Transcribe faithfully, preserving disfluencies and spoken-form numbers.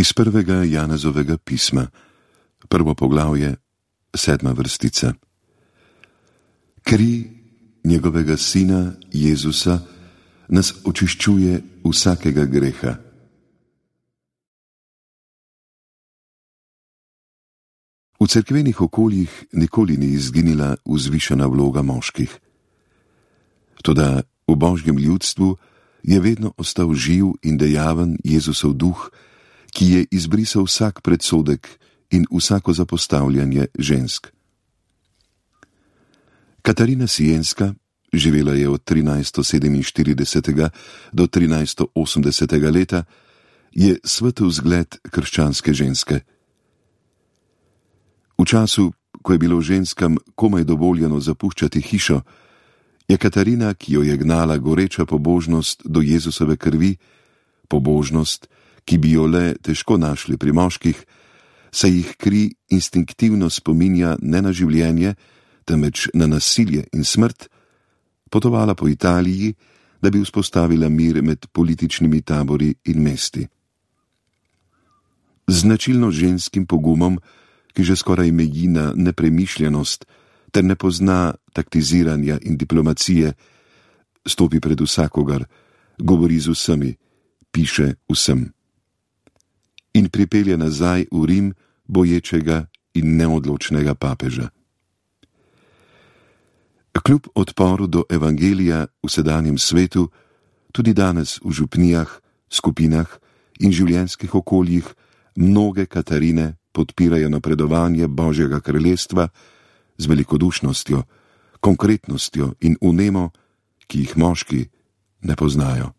Iz prvega Janezovega pisma, prvo poglavje, sedma vrstica. Kri njegovega sina Jezusa nas očiščuje vsakega greha. V cerkvenih okoljih nikoli ni izginila vzvišena vloga moških. Toda v božjem ljudstvu je vedno ostal živ in dejaven Jezusov duh, ki je izbrisal vsak predsodek in vsako zapostavljanje žensk. Katarina Sienska, živela je od trinajststo sedeminštiridesetega do trinajststo osemdesetega leta, je svetel zgled krščanske ženske. V času, ko je bilo ženskam komaj dovoljeno zapuščati hišo, je Katarina, ki jo je gnala goreča pobožnost do Jezusove krvi, pobožnost, ki bi jo le težko našli pri moških, saj jih kri instinktivno spominja ne na življenje, temveč na nasilje in smrt, potovala po Italiji, da bi vzpostavila mir med političnimi tabori in mesti. Z značilno ženskim pogumom, ki že skoraj meji na nepremišljenost, ter ne pozna taktiziranja in diplomacije, stopi pred vsakogar, govori z vsemi, piše vsem. In pripelje nazaj v Rim boječega in neodločnega papeža. Kljub odporu do evangelija v sedanjem svetu, tudi danes v župnijah, skupinah in življenjskih okoljih mnoge Katarine podpirajo napredovanje Božjega kraljestva z velikodušnostjo, konkretnostjo in vnemo, ki jih moški ne poznajo.